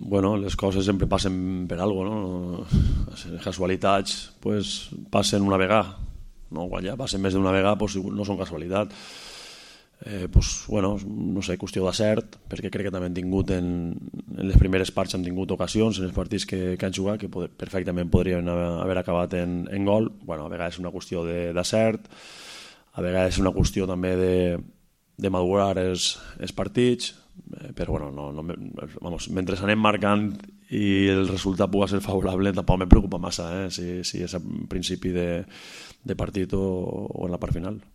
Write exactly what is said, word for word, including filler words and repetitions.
bueno, les coses sempre passen per alguna cosa, no? Les casualitats pues, passen una vegada, no? Quan ja passen més d'una vegada pues, no són casualitat. Eh, pues, bueno, no sé, qüestió d'acert, perquè crec que també han tingut en, en les primeres parts han tingut ocasions en els partits que, que han jugat que poder, perfectament podrien haver, haver acabat en, en gol. Bueno, a vegades és una qüestió d'acert, a vegades és una qüestió també de, de madurar els, els partits, eh, però bueno, no, no, vamos, mentre anem marcant i el resultat pugui ser favorable tampoc me preocupa massa, eh, si, si és a principi de, de partit o, o en la part final.